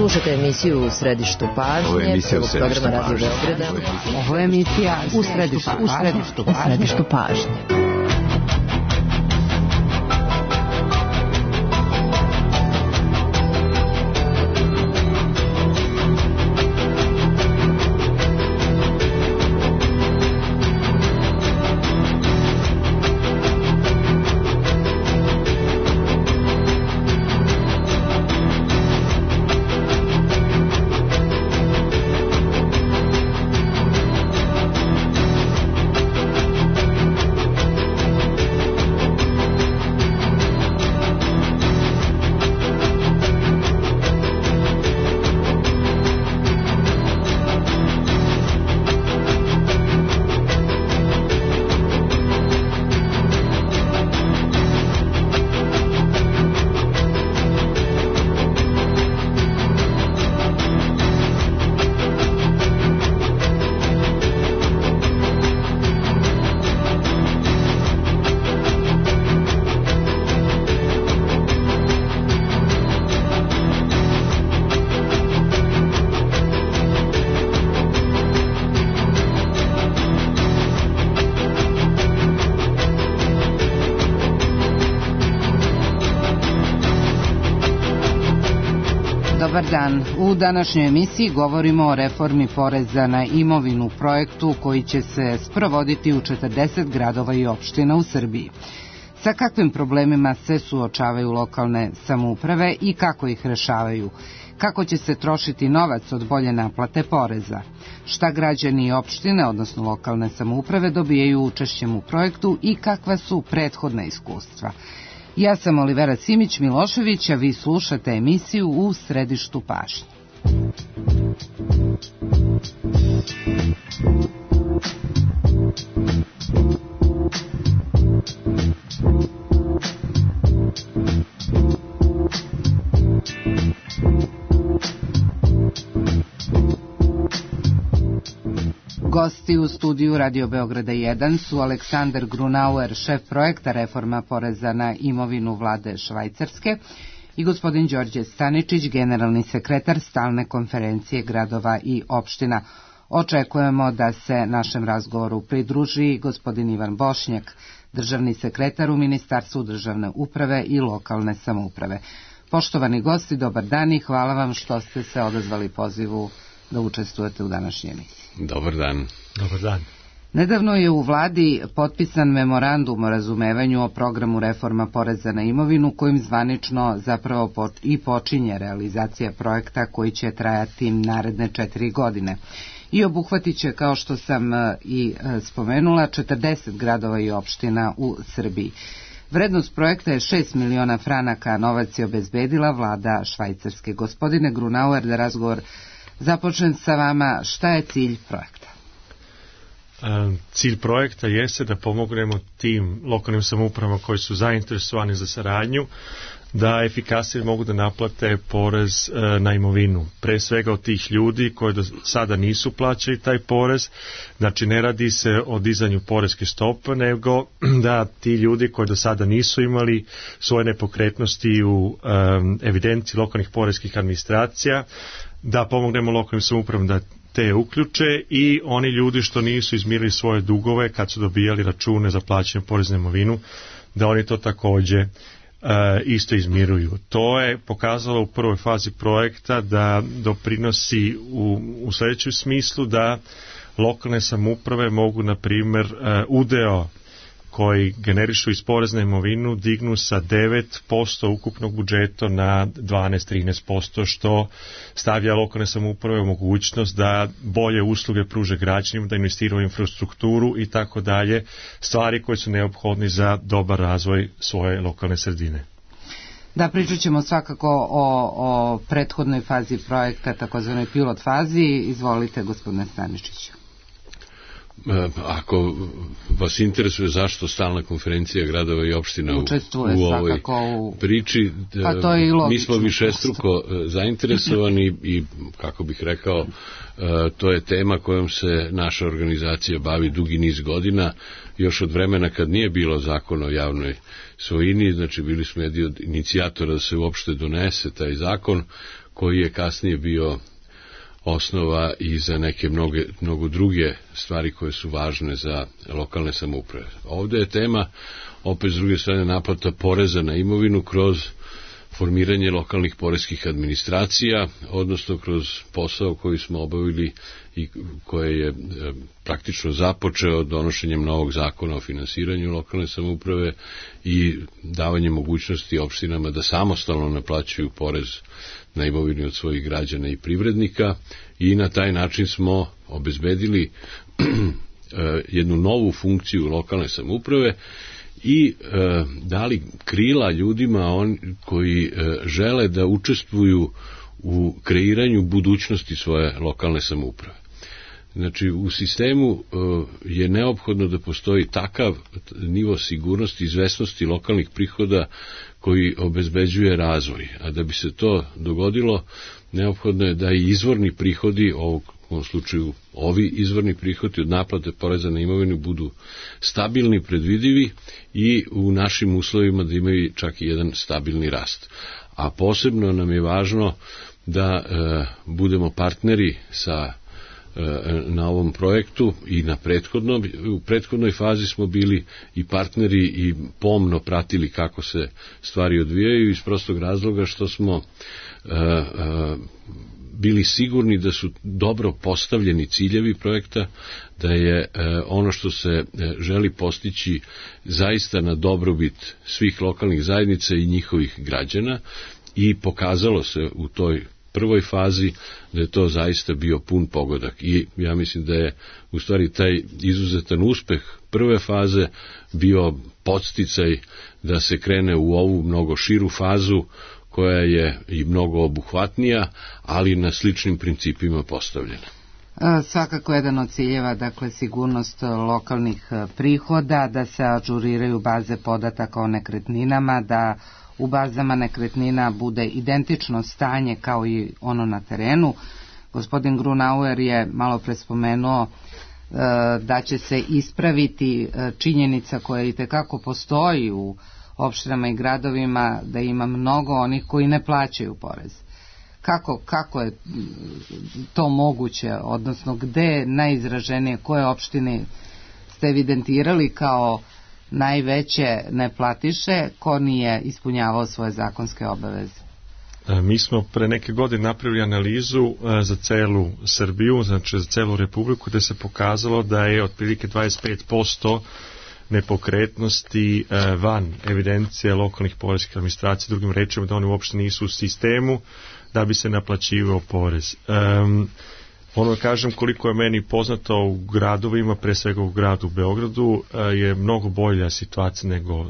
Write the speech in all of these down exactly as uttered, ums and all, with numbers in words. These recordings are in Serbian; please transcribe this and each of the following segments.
Slušajte emisiju U središtu pažnje, prvog programa Radio Beograda. Ovo je emisija U središtu, u središtu, u središtu pažnje. Dobar dan. U današnjoj emisiji govorimo o reformi poreza na imovinu, projektu koji će se sprovoditi u četrdeset gradova i opština u Srbiji. Sa kakvim problemima se suočavaju lokalne samouprave i kako ih rešavaju? Kako će se trošiti novac od bolje naplate poreza? Šta građani i opštine, odnosno lokalne samouprave, dobijaju učešćem u projektu i kakva su prethodna iskustva? Ja sam Olivera Simić-Milošević, a vi slušate emisiju U središtu pažnje. Gosti u studiju Radio Beograda jedan su Aleksandar Grunauer, šef projekta Reforma poreza na imovinu vlade Švajcarske, i gospodin Đorđe Staničić, generalni sekretar Stalne konferencije gradova i opština. Očekujemo da se našem razgovoru pridruži gospodin Ivan Bošnjak, državni sekretar u Ministarstvu državne uprave i lokalne samouprave. Poštovani gosti, dobar dan i hvala vam što ste se odazvali pozivu da učestvujete u današnjoj emisiji. Dobar dan. Dobar dan. Nedavno je u vladi potpisan memorandum o razumevanju o programu reforma poreza na imovinu, kojim zvanično zapravo i počinje realizacija projekta koji će trajati naredne četiri godine. I obuhvatit će, kao što sam i spomenula, četrdeset gradova i opština u Srbiji. Vrednost projekta je šest miliona franaka, novac je obezbedila vlada Švajcarske. Gospodine Grunauer, da razgovor započnem sa vama, šta je cilj projekta? Cilj projekta jeste da pomognemo tim lokalnim samoupravama koji su zainteresovani za saradnju da efikasnije mogu da naplate porez na imovinu. Pre svega od tih ljudi koji do sada nisu plaćali taj porez, znači ne radi se o dizanju poreske stope, nego da ti ljudi koji do sada nisu imali svoje nepokretnosti u um, evidenciji lokalnih poreskih administracija, da pomognemo lokalnim samoupravama da te uključe, i oni ljudi što nisu izmirili svoje dugove kad su dobijali račune za plaćanje poreza na imovinu, da oni to takođe e, isto izmiruju. To je pokazalo u prvoj fazi projekta da doprinosi u, u sljedećem smislu da lokalne samouprave mogu, na primjer, e, udeo koji generišu iz poreza na imovinu dignu sa devet posto ukupnog budžeta na dvanaest do trinaest posto, što stavlja lokalne samouprave u mogućnost da bolje usluge pruže građanima, da investiraju u infrastrukturu i tako dalje, stvari koje su neophodne za dobar razvoj svoje lokalne sredine. Da, pričat ćemo svakako o, o prethodnoj fazi projekta, takozvanoj pilot fazi. Izvolite, gospodine Staničiću. Ako vas interesuje zašto stalna konferencija gradova i opština u, u ovoj u... priči, mi smo višestruko zainteresovani i, kako bih rekao, to je tema kojom se naša organizacija bavi dugi niz godina, još od vremena kad nije bilo zakon o javnoj svojini, znači bili smo jedni od inicijatora da se uopšte donese taj zakon, koji je kasnije bio osnova i za neke mnoge, mnogo druge stvari koje su važne za lokalne samouprave. Ovde je tema, opet s druge strane, naplata poreza na imovinu kroz formiranje lokalnih poreskih administracija, odnosno kroz posao koji smo obavili i koje je praktično započeo donošenjem novog zakona o finansiranju lokalne samouprave i davanje mogućnosti opštinama da samostalno naplaćuju porez na imovinu od svojih građana i privrednika, i na taj način smo obezbedili jednu novu funkciju lokalne samouprave i e, dali krila ljudima on, koji e, žele da učestvuju u kreiranju budućnosti svoje lokalne samouprave. Znači, u sistemu e, je neophodno da postoji takav nivo sigurnosti i izvesnosti lokalnih prihoda koji obezbeđuje razvoj. A da bi se to dogodilo, neophodno je da i izvorni prihodi ovog, u ovom slučaju ovi izvorni prihodi od naplate poreza na imovinu budu stabilni, predvidivi i u našim uslovima da imaju čak i jedan stabilni rast. A posebno nam je važno da e, budemo partneri sa na ovom projektu i na prethodnom. U prethodnoj fazi smo bili i partneri i pomno pratili kako se stvari odvijaju iz prostog razloga što smo uh, uh, bili sigurni da su dobro postavljeni ciljevi projekta, da je uh, ono što se uh, želi postići zaista na dobrobit svih lokalnih zajednica i njihovih građana, i pokazalo se u toj prvoj fazi da je to zaista bio pun pogodak. I ja mislim da je u stvari taj izuzetan uspeh prve faze bio podsticaj da se krene u ovu mnogo širu fazu koja je i mnogo obuhvatnija, ali na sličnim principima postavljena. Svakako jedan od ciljeva, dakle, sigurnost lokalnih prihoda, da se ažuriraju baze podataka o nekretninama, da u bazama nekretnina bude identično stanje kao i ono na terenu. Gospodin Grunauer je malo pre spomenuo e, da će se ispraviti činjenica koja i tekako postoji u opštinama i gradovima, da ima mnogo onih koji ne plaćaju porez. Kako, kako je to moguće, odnosno gde najizraženije, koje opštine ste evidentirali kao najveće neplatiše, ko nije ispunjavao svoje zakonske obaveze? Mi smo pre neke godine napravili analizu za celu Srbiju, znači za celu Republiku, gde se pokazalo da je otprilike dvadeset pet posto nepokretnosti van evidencije lokalnih poreskih administracija, drugim rečima da oni uopšte nisu u sistemu da bi se naplaćivao porez. Um, Ono kažem, koliko je meni poznato u gradovima, pre svega u gradu Beogradu, je mnogo bolja situacija nego uh,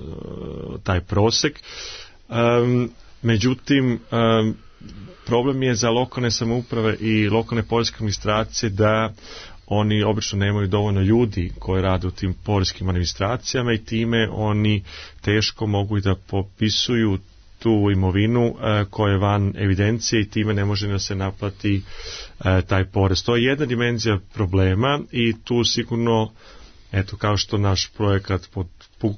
taj prosek. Um, međutim, um, problem je za lokalne samouprave i lokalne poreske administracije da oni obično nemaju dovoljno ljudi koji rade u tim poreskim administracijama i time oni teško mogu i da popisuju tu imovinu uh, koja je van evidencije i time ne može da se naplati uh, taj porez. To je jedna dimenzija problema i tu sigurno, eto, kao što naš projekat pod, uh,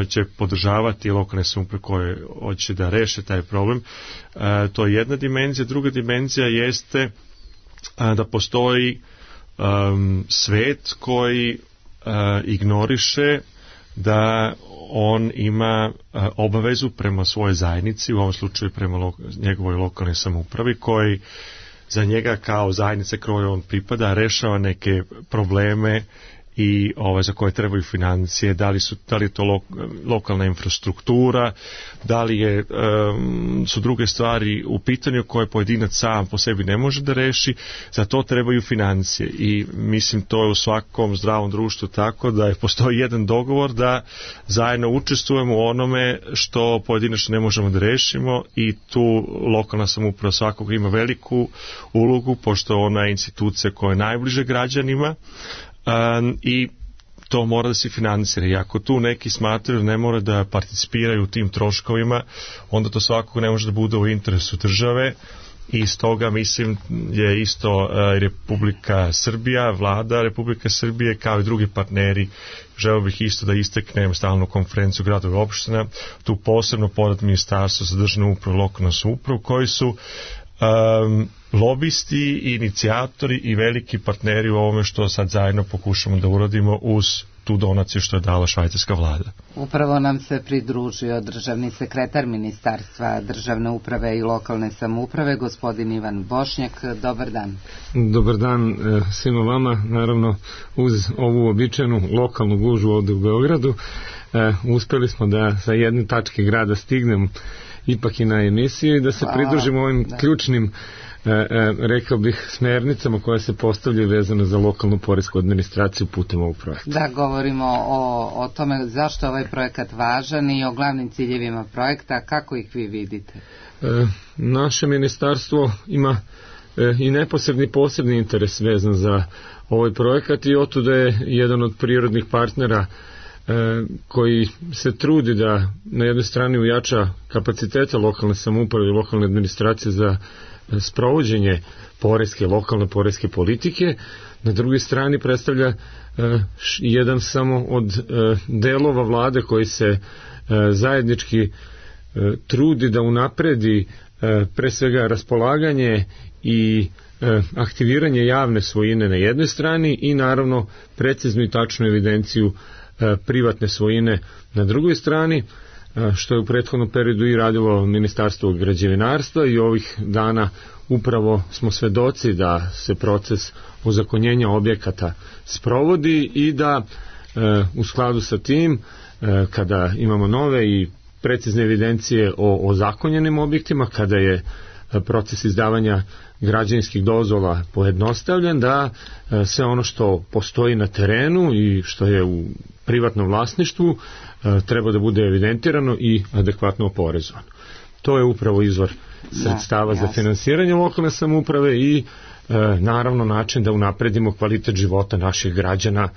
će podržavati lokalne samouprave koje hoće da reše taj problem. Uh, to je jedna dimenzija. Druga dimenzija jeste uh, da postoji um, svet koji uh, ignoriše da on ima a, obavezu prema svojoj zajednici, u ovom slučaju prema lo, njegovoj lokalnoj samoupravi, koji za njega kao zajednice kojoj on pripada rešava neke probleme i ove za koje trebaju financije, da li su da li je to lo, lokalna infrastruktura, da li je um, su druge stvari u pitanju koje pojedinac sam po sebi ne može da reši, za to trebaju financije i mislim to je u svakom zdravom društvu tako da je postoji jedan dogovor da zajedno učestvujemo u onome što pojedinačno ne možemo da rešimo i tu lokalna samouprava svakako ima veliku ulogu pošto ona je institucija koja je najbliže građanima. um, i to mora da se finansira. I ako tu neki smatraju ne mora da participiraju u tim troškovima, onda to svakako ne može da bude u interesu države. I stoga mislim je isto Republika Srbija, vlada Republika Srbije kao i drugi partneri, želeo bih isto da istaknem stalnu konferenciju gradova i opština, tu posebno pored Ministarstva za državnu upravu i lokalnu samoupravu, koji su um, lobisti, inicijatori i veliki partneri u ovome što sad zajedno pokušamo da uradimo uz tu donaciju što je dala švajcarska vlada. Upravo nam se pridružio državni sekretar Ministarstva državne uprave i lokalne samouprave, gospodin Ivan Bošnjak. Dobar dan. Dobar dan svima vama. Naravno, uz ovu običajnu lokalnu gužu ovde u Beogradu, uspeli smo da sa jedne tačke grada stignem ipak i na emisiju i da se pridružimo ovim da. ključnim E, e, rekao bih smernicama koje se postavljaju vezano za lokalnu poresku administraciju putem ovog projekta. Da, govorimo o, o tome zašto je ovaj projekat važan i o glavnim ciljevima projekta, kako ih vi vidite? E, naše ministarstvo ima e, i neposredni posebni interes vezan za ovaj projekat i otuda je jedan od prirodnih partnera e, koji se trudi da na jednoj strani ujača kapacitete lokalne samouprave i lokalne administracije za sprovođenje poreske, lokalne poreske politike, na drugoj strani predstavlja e, jedan samo od e, delova vlade koji se e, zajednički e, trudi da unapredi e, pre svega raspolaganje i e, aktiviranje javne svojine na jednoj strani i naravno preciznu i tačnu evidenciju e, privatne svojine na drugoj strani, što je u prethodnom periodu i radilo Ministarstvo građevinarstva i ovih dana upravo smo svedoci da se proces ozakonjenja objekata sprovodi i da e, u skladu sa tim e, kada imamo nove i precizne evidencije o ozakonjenim objektima, kada je proces izdavanja građevinskih dozvola pojednostavljen, da e, sve ono što postoji na terenu i što je u privatnom vlasništvu treba da bude evidentirano i adekvatno oporezovano. To je upravo izvor sredstava da, za finansiranje lokalne samouprave i e, naravno način da unapredimo kvalitet života naših građana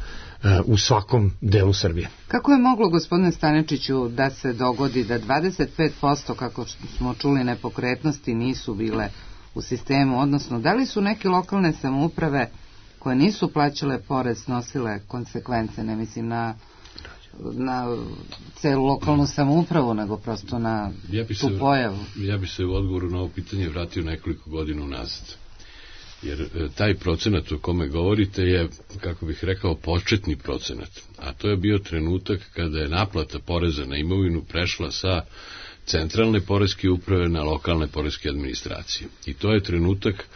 e, u svakom delu Srbije. Kako je moglo, gospodine Stanečiću, da se dogodi da dvadeset pet posto, kako smo čuli, nepokretnosti nisu bile u sistemu, odnosno da li su neke lokalne samouprave koje nisu plaćale porez nosile konsekvence, ne mislim na na celu lokalnu samoupravu, nego prosto na ja tu se, pojavu. Ja bi se u odgovoru na ovo pitanje vratio nekoliko godina unazad. Jer e, taj procenat o kome govorite je, kako bih rekao, početni procenat. A to je bio trenutak kada je naplata poreza na imovinu prešla sa centralne poreske uprave na lokalne poreske administracije. I to je trenutak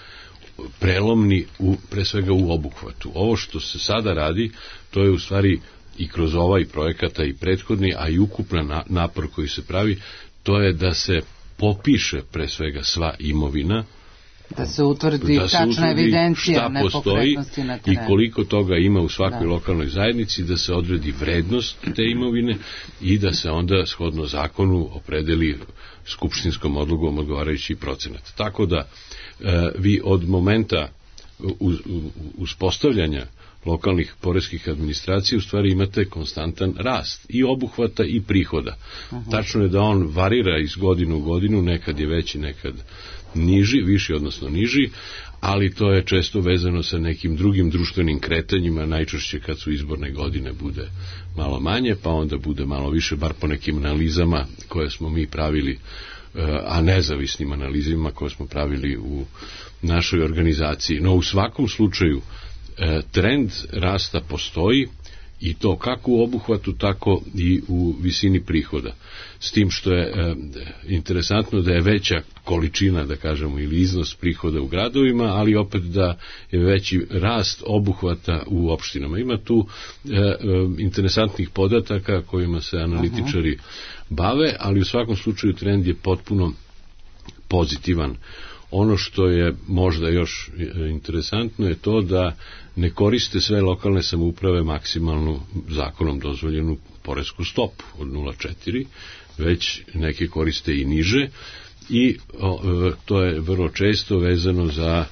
prelomni u, pre svega u obuhvatu. Ovo što se sada radi, to je u stvari i kroz ovaj projekata i prethodni, a i ukupan napor koji se pravi, to je da se popiše pre svega sva imovina, da se utvrdi da tačna se utvrdi evidencija šta postoji i koliko toga ima u svakoj da. lokalnoj zajednici, da se odredi vrednost te imovine i da se onda shodno zakonu opredeli skupštinskom odlukom odgovarajući procenat. Tako da e, vi od momenta uz, uspostavljanja lokalnih poreskih administracija u stvari imate konstantan rast i obuhvata i prihoda. Uh-huh. Tačno je da on varira iz godine u godinu, nekad je veći, nekad niži, viši odnosno niži, ali to je često vezano sa nekim drugim društvenim kretanjima, najčešće kad su izborne godine bude malo manje, pa onda bude malo više, bar po nekim analizama koje smo mi pravili, a nezavisnim analizima koje smo pravili u našoj organizaciji. No u svakom slučaju trend rasta postoji i to kako u obuhvatu, tako i u visini prihoda. S tim što je e, interesantno da je veća količina, da kažemo, ili iznos prihoda u gradovima, ali opet da je veći rast obuhvata u opštinama. Ima tu e, e, interesantnih podataka kojima se analitičari bave, ali u svakom slučaju trend je potpuno pozitivan. Ono što je možda još interesantno je to da ne koriste sve lokalne samouprave maksimalnu zakonom dozvoljenu poresku stopu od nula zarez četiri, već neke koriste i niže i o, to je vrlo često vezano za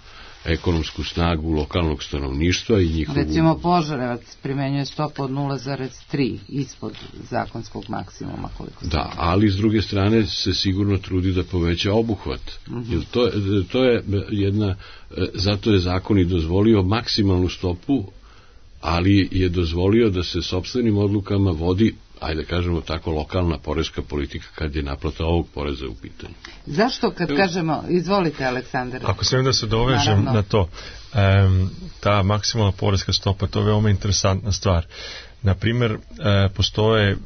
ekonomsku snagu lokalnog stanovništva i njihovu... Recimo Požarevac primenjuje stopu od nula zarez tri ispod zakonskog maksimuma. Koliko da, ali s druge strane se sigurno trudi da poveća obuhvat. Uh-huh. Jer to, to je jedna, zato je zakon i dozvolio maksimalnu stopu, ali je dozvolio da se sopstvenim odlukama vodi, ajde kažemo tako, lokalna poreska politika kad je naplata ovog poreza u pitanju. Zašto kad kažemo, izvolite Aleksandar. Ako smijem da se dovežem Naravno. na to, um, ta maksimalna poreska stopa, to je veoma interesantna stvar. Naprimjer, e, postoje e,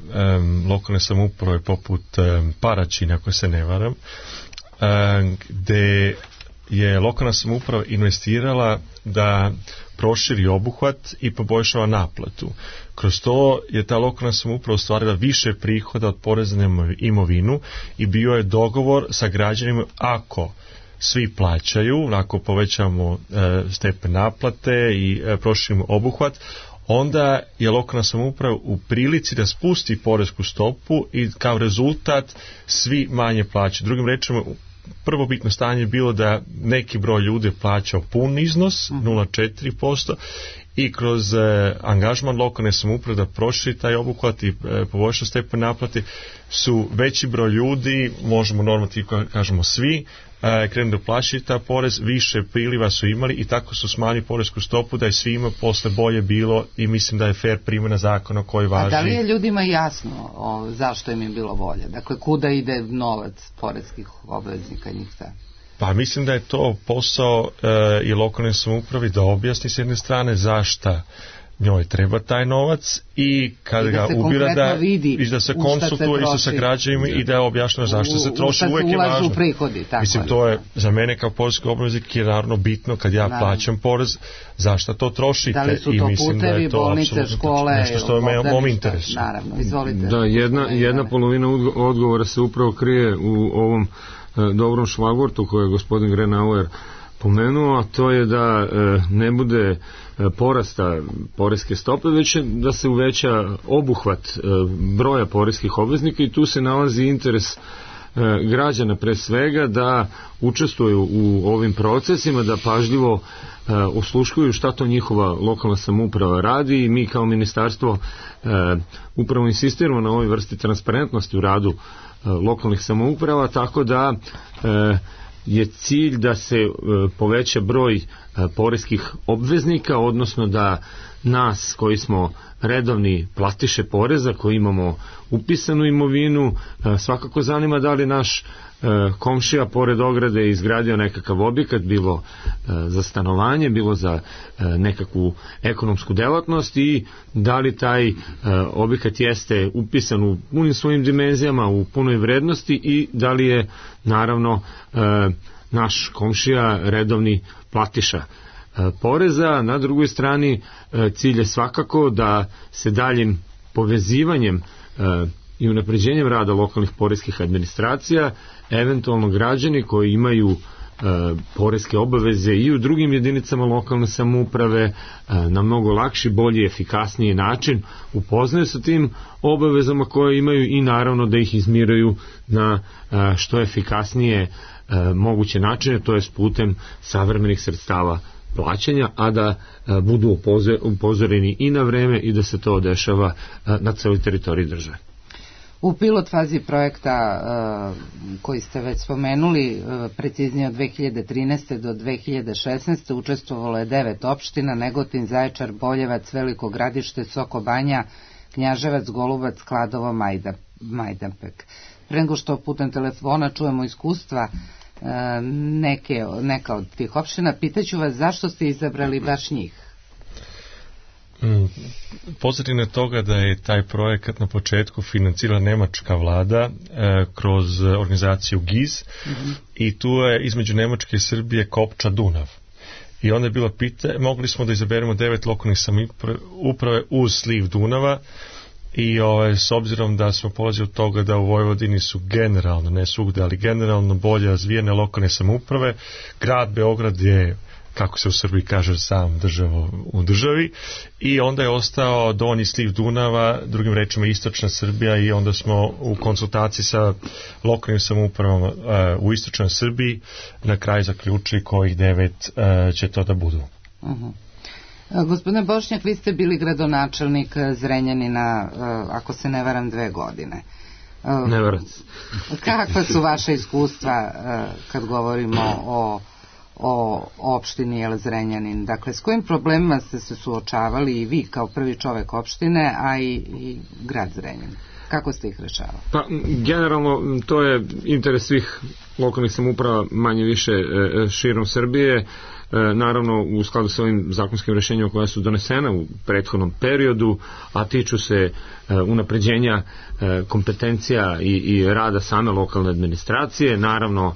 lokalne samouprave poput e, Paraćina, ako se ne varam, e, gde je lokalna samouprava investirala da proširi obuhvat i poboljšava naplatu. Kroz to je ta lokalna samouprava ostvarila više prihoda od poreza na imovinu i bio je dogovor sa građanima, ako svi plaćaju, ako povećamo e, stepen naplate i e, proširimo obuhvat, onda je lokalna samouprava u prilici da spusti poresku stopu i kao rezultat svi manje plaćaju. Drugim rečima, prvo bitno stanje je bilo da neki broj ljudi plaćao pun iznos, nula zarez četiri posto, i kroz e, angažman lokalne samouprave da proširi taj obuhvat i e, poboljša stepen naplate, su veći broj ljudi, možemo normativno kažemo svi, e, krenu da plaćaju ta porez, više priliva su imali i tako su smanjili poresku stopu da je svima posle bolje bilo i mislim da je fair primjena zakona koji važi. A da li je ljudima jasno o, zašto im je bilo bolje? Dakle, kuda ide novac poreskih obveznika njih ta? Pa mislim da je to posao e, i lokalne samoupravi da objasni s jedne strane zašta njoj treba taj novac i kada I ga ubira da, i da se konsultuje isto sa građanima i da je objašnjeno zašto se troši, uvek je važno. Prihodi, tako mislim, to je za mene kao poreski obveznik je naravno bitno kad ja naravno. plaćam porez, zašto to trošite. Da li su to i mislim putevi, da je to bolnice, škole, nešto što je u mom interesu. Naravno, izvolite. Da, jedna, jedna polovina odgovora se upravo krije u ovom e, dobrom šlagvortu koje je gospodin Grenauer pomenuo, a to je da e, ne bude e, porasta poreske stope, već da se uveća obuhvat e, broja poreskih obveznika i tu se nalazi interes e, građana pre svega da učestvuju u ovim procesima, da pažljivo e, osluškuju šta to njihova lokalna samouprava radi i mi kao ministarstvo e, upravo insistiramo na ovoj vrsti transparentnosti u radu e, lokalnih samouprava, tako da e, je cilj da se e, poveća broj e, poreskih obveznika, odnosno da nas koji smo redovni platiše poreza, koji imamo upisanu imovinu, e, svakako zanima da li naš e, komšija pored ograde izgradio nekakav objekat, bilo e, za stanovanje, bilo za e, nekakvu ekonomsku delatnost i da li taj e, objekat jeste upisan u punim svojim dimenzijama, u punoj vrednosti i da li je naravno e, naš komšija redovni platiša e, poreza. Na drugoj strani e, cilj je svakako da se daljim povezivanjem e, i unapređenjem rada lokalnih poreskih administracija, eventualno građani koji imaju e, poreske obaveze i u drugim jedinicama lokalne samouprave e, na mnogo lakši, bolji, efikasniji način upoznaju sa tim obavezama koje imaju i naravno da ih izmiruju na e, što efikasnije e, moguće načine, to je putem savremenih sredstava plaćanja, a da e, budu upozoreni i na vreme i da se to dešava e, na celoj teritoriji države. U pilot fazi projekta uh, koji ste već spomenuli, uh, preciznije od dve hiljade trinaeste do dve hiljade šesnaeste učestvovalo je devet opština: Negotin, Zaječar, Boljevac, Veliko Gradište, Soko Banja, Knjaževac, Golubac, Kladovo, Majda, Majdanpek. Pre nego što putem telefona čujemo iskustva uh, neke, neka od tih opština, pitaću vas zašto ste izabrali baš njih? Pozadina toga da je taj projekat na početku financirala nemačka vlada e, kroz organizaciju G I Z mm-hmm. i tu je između Nemačke i Srbije kopča Dunav. I onda je bilo pitanje, mogli smo da izaberemo devet lokalnih samouprave uz sliv Dunava i ove, s obzirom da smo polazili od toga da u Vojvodini su generalno, ne svugde, ali generalno bolje razvijene lokalne samouprave, grad Beograd je kako se u Srbiji kaže, sam državo u državi, i onda je ostao donji sliv Dunava, drugim rečima istočna Srbija, i onda smo u konsultaciji sa lokalnim samoupravama uh, u istočnoj Srbiji na kraju zaključili kojih devet uh, će to da budu. Uh-huh. Gospodine Bošnjak, vi ste bili gradonačelnik Zrenjanina, ako se ne varam, dve godine. Ne varam. Kakva su vaše iskustva kad govorimo o, o opštini El Zrenjanin? Dakle, s kojim problemima ste se suočavali i vi kao prvi čovek opštine, a i, i grad Zrenjanin? Kako ste ih rešavali? Pa, generalno, to je interes svih lokalnih samouprava manje više širom Srbije. Naravno u skladu sa ovim zakonskim rešenjima koja su donesena u prethodnom periodu, a tiču se unapređenja kompetencija i, i rada same lokalne administracije, naravno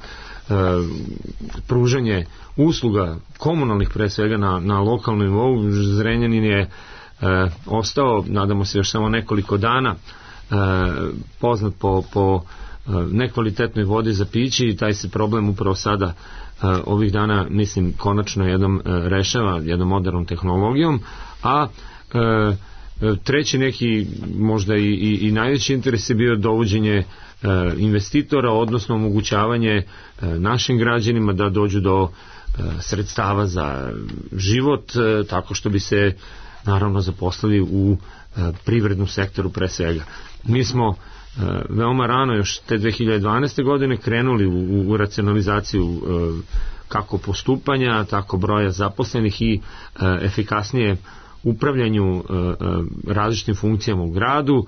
pružanje usluga komunalnih pre svega na, na lokalnom nivou. Zrenjanin je ostao, nadamo se još samo nekoliko dana, poznat po, po nekvalitetnoj vodi za piće, i taj se problem upravo sada ovih dana, mislim, konačno jednom rešava jednom modernom tehnologijom, a treći neki možda i, i, i najveći interes je bio dovođenje investitora, odnosno omogućavanje našim građanima da dođu do sredstava za život, tako što bi se naravno zaposlili u privrednom sektoru pre svega. Mi smo veoma rano, još te dve hiljade dvanaeste. godine, krenuli u, u racionalizaciju kako postupanja, tako broja zaposlenih i efikasnije upravljanju različitim funkcijama u gradu,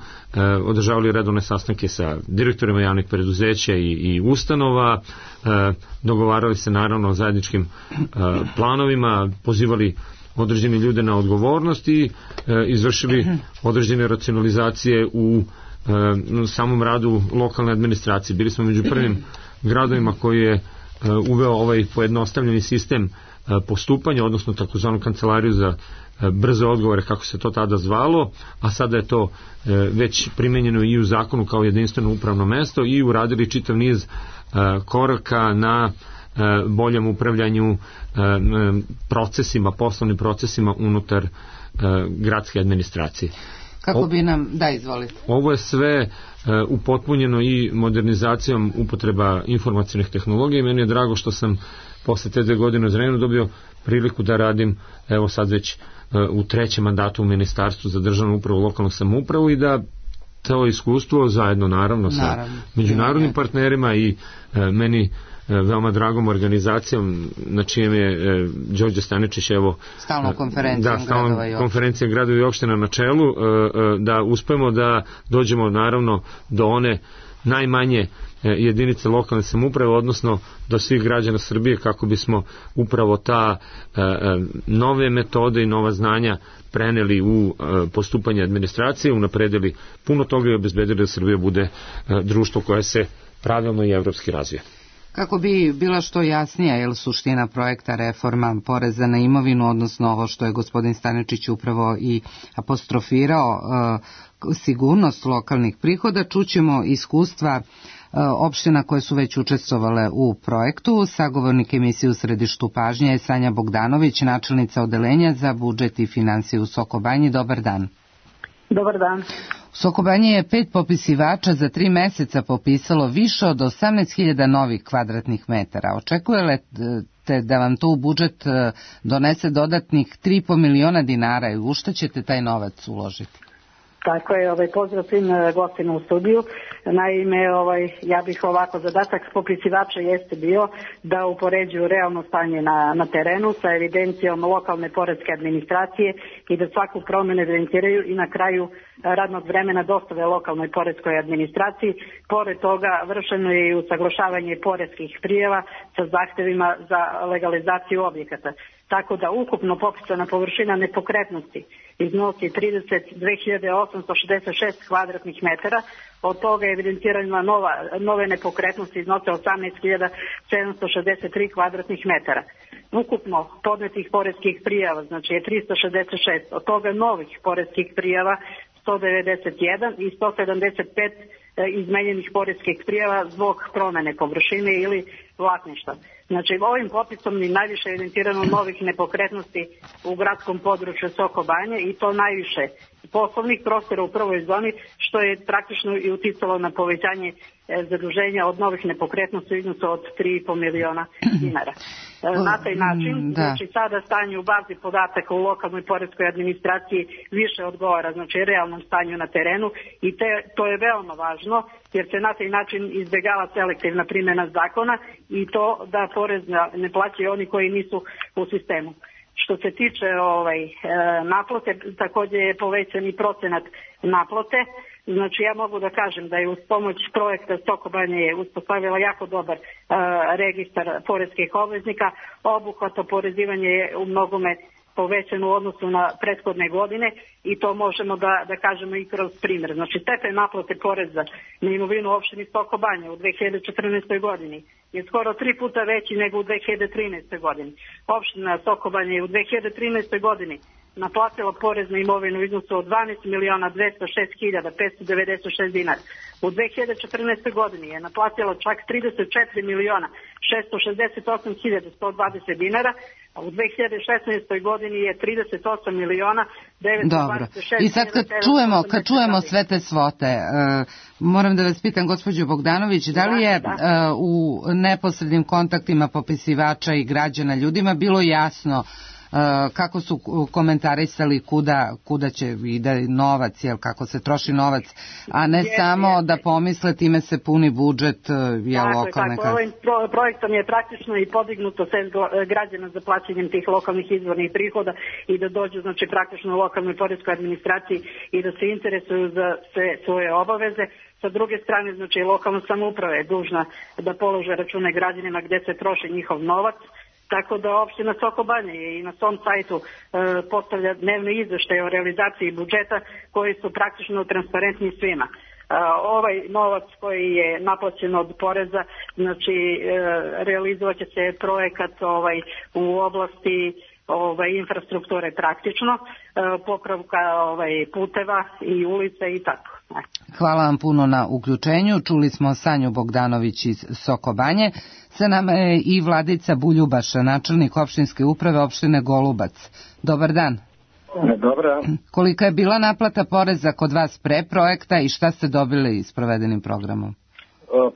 održavali redovne sastanke sa direktorima javnih preduzeća i, i ustanova, dogovarali se naravno o zajedničkim planovima, pozivali određeni ljude na odgovornost i izvršili određene racionalizacije u u samom radu lokalne administracije. Bili smo među prvim gradovima koji je uveo ovaj pojednostavljeni sistem postupanja, odnosno takozvanu kancelariju za brze odgovore, kako se to tada zvalo, a sada je to već primenjeno i u zakonu kao jedinstveno upravno mesto, i uradili čitav niz koraka na boljem upravljanju procesima, poslovnim procesima unutar gradske administracije. Kako bi nam, da, izvolite. Ovo je sve uh, upotpunjeno i modernizacijom upotreba informacionih tehnologija, i meni je drago što sam posle te dve godine u Zrenjaninu dobio priliku da radim, evo sad već uh, u trećem mandatu u Ministarstvu za državnu upravu i lokalnu samoupravu, i da to iskustvo zajedno naravno sa naravno. međunarodnim partnerima i uh, meni veoma dragom organizacijom na čijem je e, Đorđe Staničić, evo, stalnom konferencijom da, stalnom konferencijom gradova i opština na čelu, e, e, da uspemo da dođemo naravno do one najmanje e, jedinice lokalne samouprave, odnosno do svih građana Srbije, kako bismo upravo ta e, e, nove metode i nova znanja preneli u e, postupanje administracije, unapredili puno toga i obezbedili da Srbija bude e, društvo koje se pravilno i evropski razvija. Kako bi bila što jasnija, je li suština projekta reforma poreza na imovinu, odnosno ovo što je gospodin Staničić upravo i apostrofirao, e, sigurnost lokalnih prihoda, čućemo iskustva e, opština koje su već učestvovale u projektu. Sagovornik emisije U središtu pažnje je Sanja Bogdanović, načelnica odeljenja za budžet i finansije u Soko Banji. Dobar dan. Dobar dan. U Soko Banji je pet popisivača za tri meseca popisalo više od osamnaest hiljada novih kvadratnih metara. Očekujete da vam to u budžet donese dodatnih tri i po miliona dinara i u šta ćete taj novac uložiti? Tako je, ovaj, pozdrav svim gostima u studiju. Naime, ovaj, ja bih ovako, zadatak popisivača jeste bio da upoređuju realno stanje na, na terenu sa evidencijom lokalne poreske administracije i da svaku promenu evidentiraju i na kraju radnog vremena dostave lokalnoj poreskoj administraciji. Pored toga vršeno je i usaglašavanje poreskih prijava sa zahtevima za legalizaciju objekata. Tako da ukupno popisana površina nepokretnosti iznosi trideset dve hiljade osamsto šezdeset šest kvadratnih metara, od toga je evidentirana nova, nove nepokretnosti iznose osamnaest hiljada sedamsto šezdeset tri kvadratnih metara. Ukupno podnetih poreskih prijava znači je tristo šezdeset šest, od toga novih poreskih prijava sto devedeset jedan i sto sedamdeset pet izmenjenih poreskih prijava zbog promene površine ili vlasništva. Znači, ovim popisom je najviše evidentirano novih nepokretnosti u gradskom području Soko Banje i to najviše poslovnih prostora u prvoj zoni, što je praktično i uticalo na povećanje zaduženja od novih nepokretnosti u iznosu od tri i po miliona dinara. Na taj način, da. Znači sada stanje u bazi podataka u lokalnoj poreskoj administraciji više odgovara, znači realnom stanju na terenu i te, to je veoma važno jer se na taj način izbjegava selektivna primjena zakona i to da porez ne plaćaju oni koji nisu u sistemu. Što se tiče ovaj, naplate, također je povećan i procenat naplate. Znači ja mogu da kažem da je uz pomoć projekta Soko Banje je uspostavila jako dobar uh, registar poreskih obveznika. Obuhvat oporezivanje je u mnogome povećan u odnosu na prethodne godine i to možemo da, da kažemo i kroz primjer. Znači stepen naplate poreza na imovinu u opštini Soko Banje u dve hiljade četrnaestoj godini je skoro tri puta veći nego u dve hiljade trinaestoj godini. Opština Soko Banje je u dve hiljade trinaestoj godini naplatila porez na imovinu u iznosu od dvanaest miliona dvesta šest hiljada petsto devedeset šest dinara. U dve hiljade četrnaestoj godini je naplatila čak trideset četiri miliona šesto šezdeset osam hiljada sto dvadeset dinara, a u dve hiljade šesnaestoj godini je trideset osam miliona devetsto dvadeset šest hiljada. I sad kad čujemo, kad čujemo sve te svote, uh, moram da vas pitam, gospođo Bogdanović, da li je uh, u neposrednim kontaktima popisivača i građana ljudima bilo jasno kako su komentarisali kuda, kuda će ide novac, jel, kako se troši novac, a ne je, samo je, da pomisle time se puni budžet je lokalne kase. Ovim pro, projektom je praktično i podignuto sve građana za plaćanjem tih lokalnih izvornih prihoda i da dođu znači praktično u lokalnoj poreskoj administraciji i da se interesuju za sve svoje obaveze. Sa druge strane, znači lokalna samouprava je dužna da polože račune građanima gde se troši njihov novac. Tako da opština Soko Banje je i na svom sajtu e, postavlja dnevne izveštaje o realizaciji budžeta koji su praktično transparentni svima. E, ovaj novac koji je naplaćen od poreza, znači e, realizovat će se projekat ovaj, u oblasti ovaj, infrastrukture praktično, e, popravka ovaj, puteva i ulica i tako. Hvala vam puno na uključenju. Čuli smo Sanju Bogdanović iz Soko Banje. Sa nama je i Vladica Buljubaša, načelnik opštinske uprave opštine Golubac. Dobar dan. Dobar. Kolika je bila naplata poreza kod vas pre projekta i šta ste dobili s provedenim programom?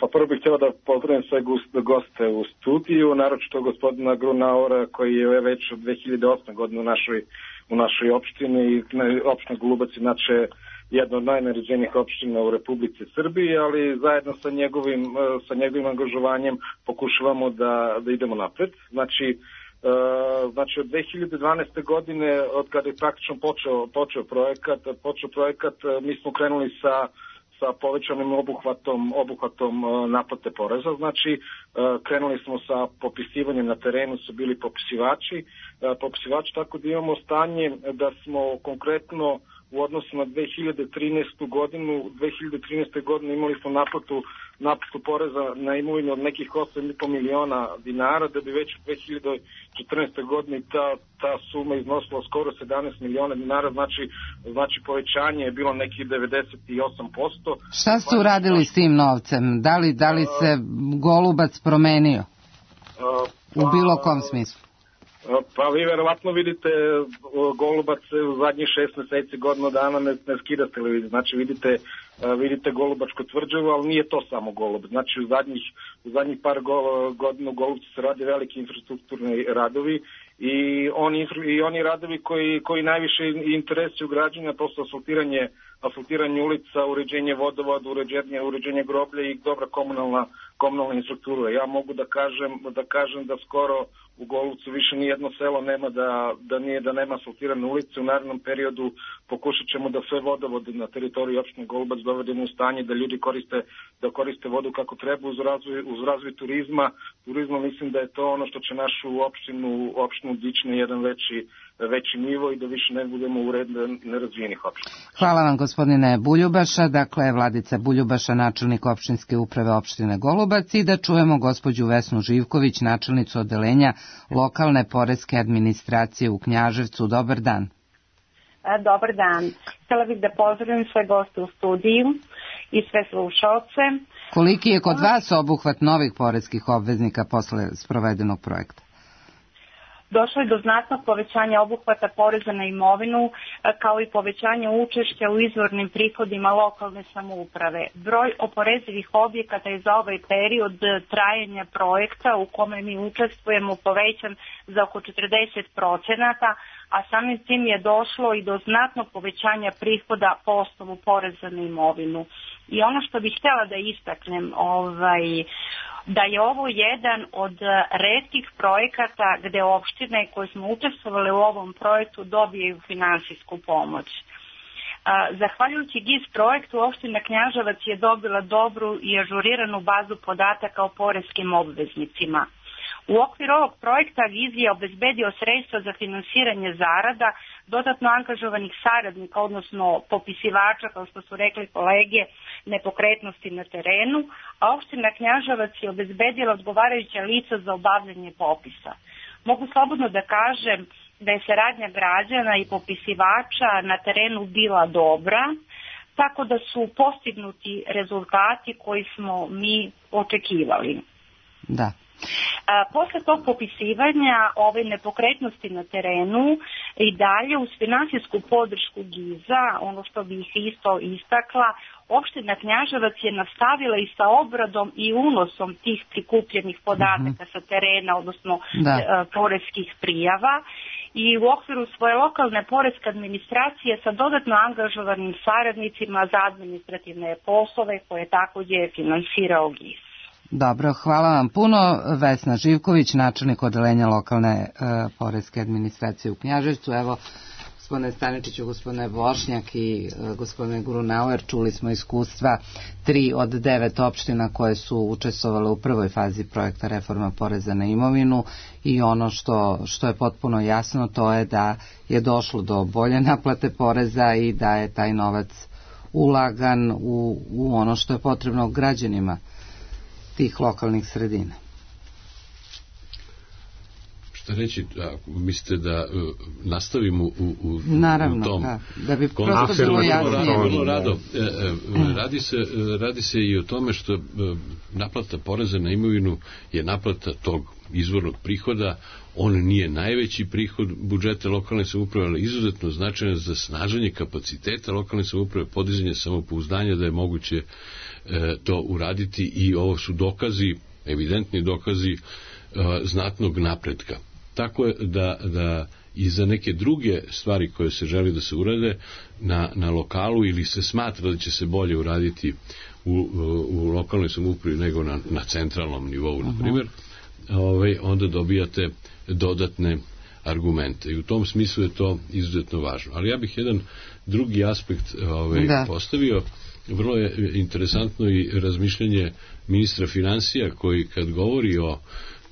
Pa prvo bih htjela da pozdravim sve goste u studiju, naročito gospodina Grunaura koji je već od dve hiljade osme godine u našoj, u našoj opštini i opština Golubac inače jedna od najneređenijih opština u Republici Srbiji, ali zajedno sa njegovim, sa njegovim angažovanjem pokušavamo da, da idemo napred. Znači, uh, znači od dve hiljade dvanaeste godine, od kada je praktično počeo, počeo projekat, počeo projekat, mi smo krenuli sa sa povećanim obuhvatom, obuhvatom naplate poreza. Znači, krenuli smo sa popisivanjem na terenu, su bili popisivači. Popisivači, tako da imamo stanje da smo konkretno u odnosu na dve hiljade trinaestu godinu, dve hiljade trinaeste godine imali smo naplatu, naplatu poreza na imovinu od nekih osam i po miliona dinara, da bi već u dve hiljade četrnaestoj godini ta, ta suma iznosila skoro sedamnaest miliona dinara, znači, znači povećanje je bilo nekih devedeset osam posto. Šta ste uradili s tim novcem? Da li, da li se Golubac promenio u bilo kom smislu? Pa vi verovatno vidite Golubac u zadnjih šest meseci, godinu dana ne, ne skida s televizije. Znači vidite, vidite Golubačko tvrđavu, ali nije to samo Golubac. Znači u zadnjih, u zadnjih par godina u Golubcu se radi veliki infrastrukturni radovi i oni, i oni radovi koji, koji najviše interesuju građana, to su asfaltiranje, asfaltiranje ulica, uređenje vodovoda, uređenje, uređenje groblja i dobra komunalna, komunalna infrastruktura. Ja mogu da kažem, da kažem da skoro u Golubcu više nijedno selo nema da, da, nije, da nema asfaltirane ulice. U narednom periodu pokušat ćemo da sve vodovode na teritoriji opštine Golubac dovedemo u stanje da ljudi koriste, da koriste vodu kako treba uz razvoj, uz razvoj turizma. Turizma mislim da je to ono što će našu opštinu, opštinu dići na jedan veći, veći nivo i da više ne budemo u red nerazvijenih opština. Hvala vam gospodine Buljubaša, dakle Vladica Buljubaša, načelnik opštinske uprave opštine Golubac, i da čujemo gospođu Vesnu Živković, načelnicu odeljenja lokalne poreske administracije u Knjaževcu. Dobar dan. Dobar dan. Htjela bih da pozdravim sve goste u studiju i sve slušalce. Koliki je kod vas obuhvat novih poreskih obveznika posle sprovedenog projekta? Došlo je do znatnog povećanja obuhvata poreza na imovinu, kao i povećanja učešća u izvornim prihodima lokalne samouprave. Broj oporezivih objekata je za ovaj period trajanja projekta u kome mi učestvujemo povećan za oko četrdeset procenata, a samim tim je došlo i do znatnog povećanja prihoda po osnovu poreza na imovinu. I ono što bih htjela da istaknem, ovaj, da je ovo jedan od retkih projekata gde opštine koje smo učestvovali u ovom projektu dobijaju finansijsku pomoć. Zahvaljujući G I Z projektu, opština Knjaževac je dobila dobru i ažuriranu bazu podataka o poreskim obveznicima. U okviru ovog projekta G I Z je obezbedio sredstva za finansiranje zarada, dodatno angažovanih saradnika, odnosno popisivača, kao što su rekli kolege, nepokretnosti na terenu, a opština Knjaževac je obezbedila odgovarajuća lica za obavljanje popisa. Mogu slobodno da kažem da je saradnja građana i popisivača na terenu bila dobra, tako da su postignuti rezultati koji smo mi očekivali. Da. A, posle tog popisivanja ove nepokretnosti na terenu i dalje uz finansijsku podršku G I Z-a, ono što bih isto istakla, opština Knjaževac je nastavila i sa obradom i unosom tih prikupljenih podataka mm-hmm. sa terena, odnosno da. e, poreskih prijava, i u okviru svoje lokalne poreske administracije sa dodatno angažovanim saradnicima za administrativne poslove koje takođe je finansirao G I Z. Dobro, hvala vam puno. Vesna Živković, načelnik odeljenja lokalne e, poreske administracije u Knjaževcu. Evo, gospodine Staničiću, gospodine Bošnjak i e, gospodine Grunauer, čuli smo iskustva tri od devet opština koje su učestvovale u prvoj fazi projekta reforma poreza na imovinu i ono što, što je potpuno jasno, to je da je došlo do bolje naplate poreza i da je taj novac ulagan u, u ono što je potrebno građanima tih lokalnih sredina. Šta reći, ako mislite da uh, nastavimo u, u, Naravno, u tom da, da bi prosto bilo jasnije. Vrlo rado. E, e, radi, se, radi se i o tome što e, naplata poreza na imovinu je naplata tog izvornog prihoda. On nije najveći prihod budžeta lokalne samouprave, ali izuzetno značajan za snaženje kapaciteta lokalne samouprave, podizanje samopouzdanja da je moguće e, to uraditi, i ovo su dokazi, evidentni dokazi e, znatnog napretka. Tako je da, da i za neke druge stvari koje se želi da se urade na, na lokalu ili se smatra da će se bolje uraditi u, u lokalnoj samoupravi nego na, na centralnom nivou, na primjer, ovaj, onda dobijate dodatne argumente i u tom smislu je to izuzetno važno. Ali ja bih jedan drugi aspekt ovaj, postavio. Vrlo je interesantno i razmišljanje ministra finansija koji kad govori o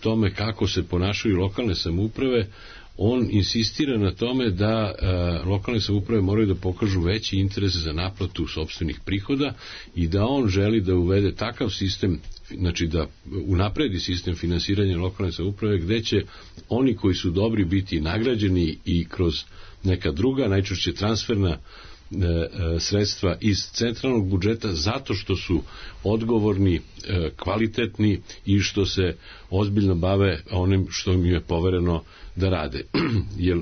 tome kako se ponašaju lokalne samouprave, on insistira na tome da e, lokalne samouprave moraju da pokažu veći interes za naplatu sopstvenih prihoda i da on želi da uvede takav sistem, znači da unapredi sistem finansiranja lokalne samouprave gde će oni koji su dobri biti nagrađeni i kroz neka druga, najčešće transferna sredstva iz centralnog budžeta zato što su odgovorni, kvalitetni i što se ozbiljno bave onim što im je povereno da rade. Jer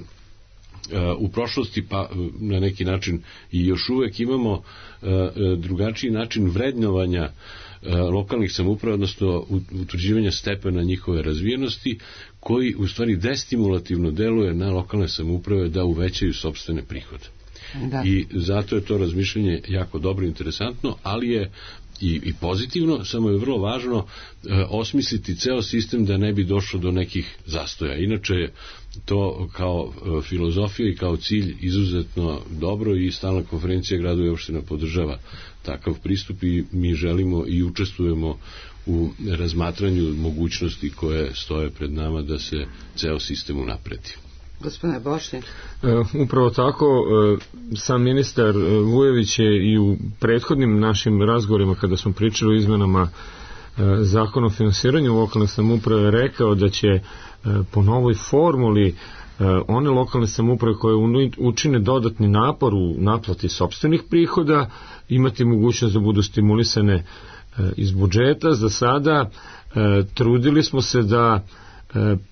u prošlosti pa na neki način i još uvek imamo drugačiji način vrednovanja lokalnih samouprava, odnosno utvrđivanja stepena njihove razvijenosti, koji u stvari destimulativno deluje na lokalne samouprave da uvećaju sopstvene prihode. Da. I zato je to razmišljanje jako dobro i interesantno, ali je i, i pozitivno, samo je vrlo važno e, osmisliti ceo sistem da ne bi došlo do nekih zastoja. Inače je to kao e, filozofija i kao cilj izuzetno dobro i stalna konferencija gradova i opština podržava takav pristup i mi želimo i učestvujemo u razmatranju mogućnosti koje stoje pred nama da se ceo sistem unapredi. Gospodine Bošnjak. E, upravo tako, e, sam ministar Vujević je i u prethodnim našim razgovorima kada smo pričali o izmenama e, zakona o finansiranju lokalne samouprave rekao da će e, po novoj formuli e, one lokalne samouprave koje učine dodatni napor u naplati sopstvenih prihoda imati mogućnost da budu stimulisane iz budžeta. Za sada trudili smo se da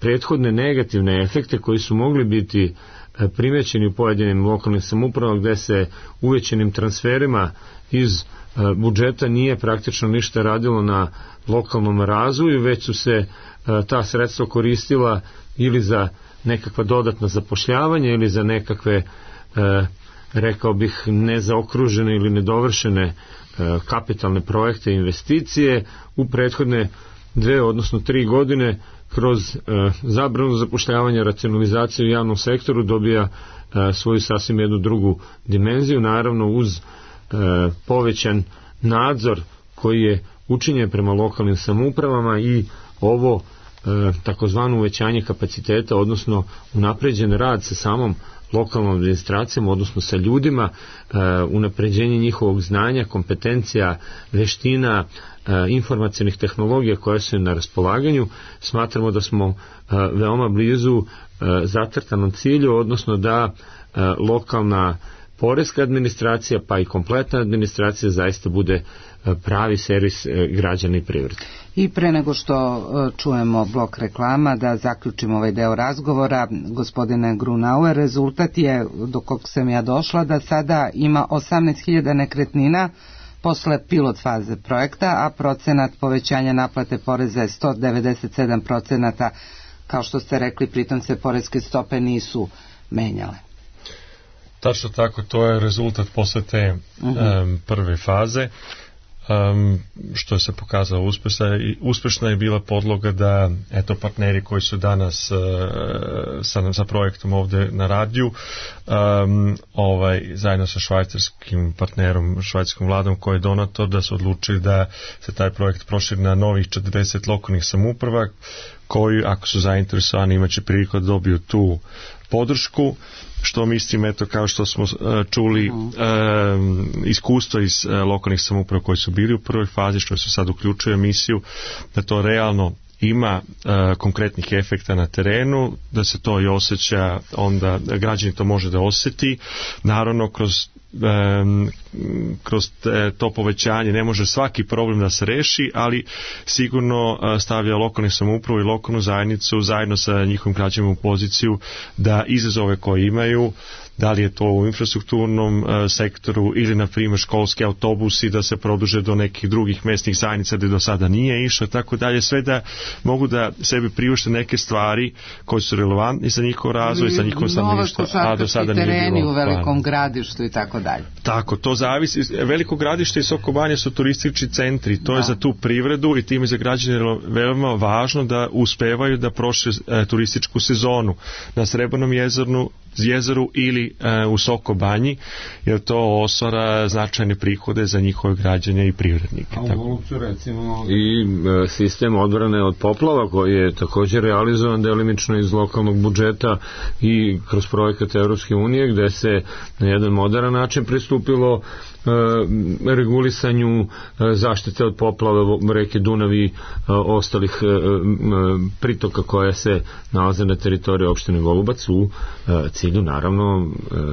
prethodne negativne efekte koji su mogli biti primećeni u pojedinim lokalnim samoupravama gde se uvećanim transferima iz budžeta nije praktično ništa radilo na lokalnom razvoju, već su se ta sredstva koristila ili za nekakva dodatna zapošljavanja ili za nekakve, rekao bih, nezaokružene ili nedovršene kapitalne projekte i investicije. U prethodne dve, odnosno tri godine kroz zabranu zapošljavanja, racionalizaciju u javnom sektoru dobija svoju sasvim jednu drugu dimenziju, naravno uz povećan nadzor koji je učinjen prema lokalnim samoupravama i ovo takozvano uvećanje kapaciteta, odnosno unapređen rad sa samom lokalnom administracijom, odnosno sa ljudima, unapređenje njihovog znanja, kompetencija, veština, informacionih tehnologija koje su na raspolaganju. Smatramo da smo veoma blizu zacrtanom cilju, odnosno da lokalna poreska administracija pa i kompletna administracija zaista bude pravi servis građana i privrede. I pre nego što čujemo blok reklama, da zaključimo ovaj deo razgovora, gospodine Grunauer, rezultat je, do kog sam ja došla, da sada ima osamnaest hiljada nekretnina posle pilot faze projekta, a procenat povećanja naplate poreza je sto devedeset sedam procenata, kao što ste rekli, pritom se poreske stope nisu menjale. Tačno tako, to je rezultat posle te uh-huh. um, prve faze. Um, što se pokazalo uspešna i uspešna je bila podloga da eto partneri koji su danas uh, sa, sa projektom ovde na radiju, um, ovaj, zajedno sa švajcarskim partnerom, švajcarskom vladom koji je donator, da su odlučili da se taj projekt proširi na novih četrdeset lokalnih samouprava koji, ako su zainteresovani, imaće priliku da dobiju tu podršku, što mislim, eto, kao što smo uh, čuli uh, iskustvo iz uh, lokalnih samouprava koji su bili u prvoj fazi, što se sad uključuje emisiju, da to realno ima uh, konkretnih efekta na terenu, da se to i osjeća, onda građani to može da osjeti, naravno kroz Um, kroz te, to povećanje ne može svaki problem da se reši, ali sigurno uh, stavlja lokalnu samoupravu i lokalnu zajednicu zajedno sa njihovim građanima u poziciju da izazove koje imaju, da li je to u infrastrukturnom uh, sektoru ili na primjer školski autobusi da se produže do nekih drugih mesnih zajednica gde do sada nije išlo, tako dalje, sve da mogu da sebi priušte neke stvari koje su relevantni za njihov razvoj, za njihovo stanovništvo, a do sada nije bilo. Nove košarkaški tereni u velikom gradištu i tako dalje. Tako, to zavisi. Veliko gradište i Soko Banja su turistički centri, to da. je za tu privredu i tim je za građane veoma važno da uspevaju da prošle e, turističku sezonu na Srebrnom jezeru, jezeru ili e, u Soko Banji, jer to osvara značajne prihode za njihove građane i privrednike. A u Golubcu recimo i e, sistem odbrane od poplava koji je također realizovan delimično iz lokalnog budžeta i kroz projekat Evropske unije, gde se na jedan moderan način pristupilo e, regulisanju e, zaštite od poplava reke Dunav i e, ostalih e, e, pritoka koja se nalaze na teritoriji opštine Golubac u e, cilju naravno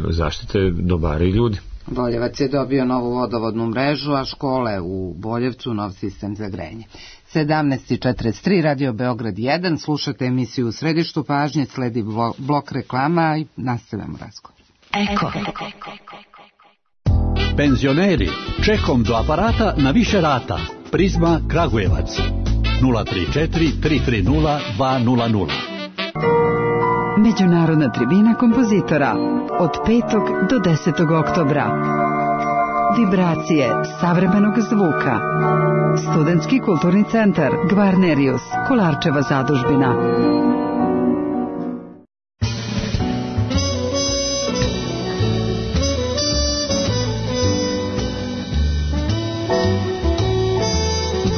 zaštite dobara i ljudi. Boljevac je dobio novu vodovodnu mrežu, a škole u Boljevcu nov sistem za grejanje. sedamnaest četrdeset tri, Radio Beograd jedan, slušate emisiju U središtu pažnje, sledi blok reklama i nastavljamo razgovor. Eko. Penzioneri, čekom do aparata na više rata. Prizma Kragujevac nula tri četiri tri tri nula dva nula nula. Međunarodna tribina kompozitora od petog do desetog oktobra. Vibracije savremenog zvuka. Studentski kulturni centar Gvarnerius, Kolarčeva zadužbina.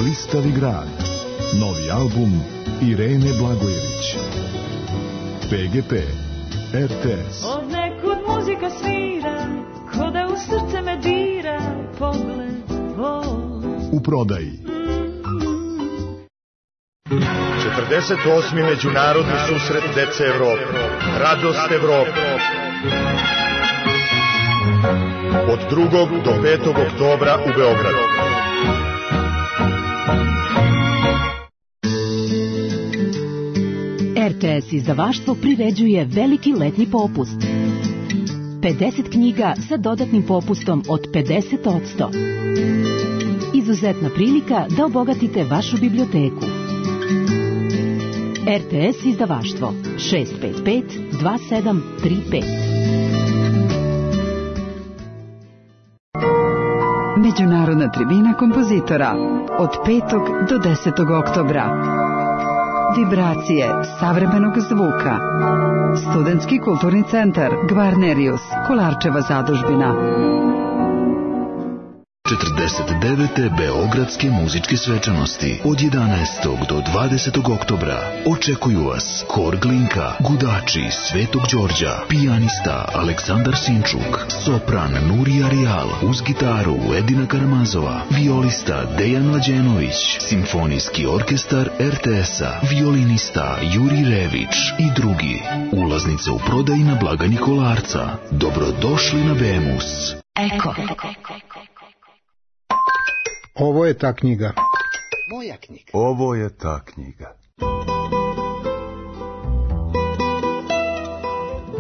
Blistavi grad. Novi album Irene Blagojević. P G P, R T S. Od nekud muzika svira, ko da u srce me dira, pogled tvoj. U prodaji. četrdeset osmi Međunarodni susret dece Evrope. Radost Evrope. Od drugog do petog oktobra u Beogradu. R T S izdavaštvo priređuje veliki letnji popust. pedeset knjiga sa dodatnim popustom od pedeset posto. Izuzetna prilika da obogatite vašu biblioteku. R T S izdavaštvo šest pet pet dva sedam tri pet. Međunarodna tribina kompozitora od petog do desetog oktobra. Vibracije savremenog zvuka. Studentski kulturni centar Gvarnerius, Kolarčeva zadužbina. četrdeset devete Beogradske muzičke svečanosti od jedanaestog do dvadesetog oktobra očekuju vas Hor Glinka, Gudači Svetog Đorđa, pijanista Aleksandar Sinčuk, sopran Nurija Rijal, uz gitaru Edina Karamazova, violista Dejan Mlađenović, simfonijski orkestar R T S-a, violinista Juri Rević i drugi. Ulaznice u prodaji na blagajni Kolarca. Dobrodošli na Bemus. Eko. Ovo je ta knjiga. Moja knjiga. Ovo je ta knjiga.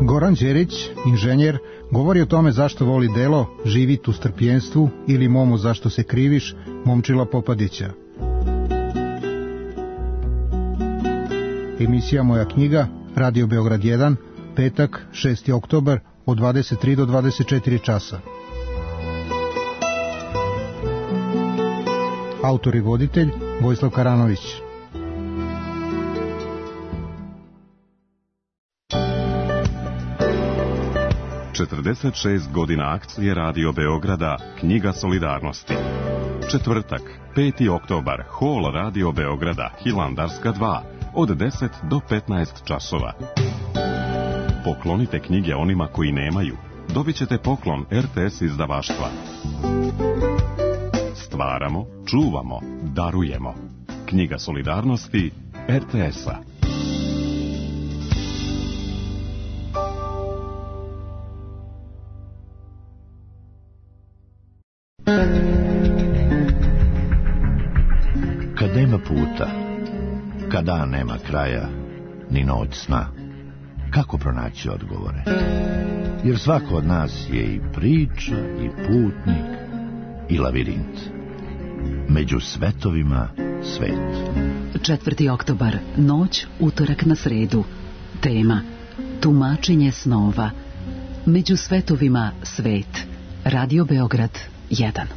Goran Đerić, inženjer, govori o tome zašto voli delo, živit u strpljenstvu ili Momo zašto se kriviš, Momčila Popadića. Emisija Moja knjiga, Radio Beograd jedan, petak, šesti oktobar, od dvadeset tri do dvadeset četiri časa. Autor i voditelj Vojislav Karanović. četrdeset šest godina akcije Radio Beograda, Knjiga solidarnosti. Četvrtak, peti oktobar, hol Radio Beograda, Hilandarska dva, od deset do petnaest časova. Poklonite knjige onima koji nemaju. Dobit ćete poklon R T S izdavaštva. Stvaramo, čuvamo, darujemo. Knjiga solidarnosti R T S-a. Kad nema puta, kad dan nema kraja, ni noć sna, kako pronaći odgovore? Jer svako od nas je i priča, i putnik, i lavirint. Među svetovima svet. četvrti oktobar, noć, utorak na sredu. Tema: tumačenje snova. Među svetovima svet. Radio Beograd jedan.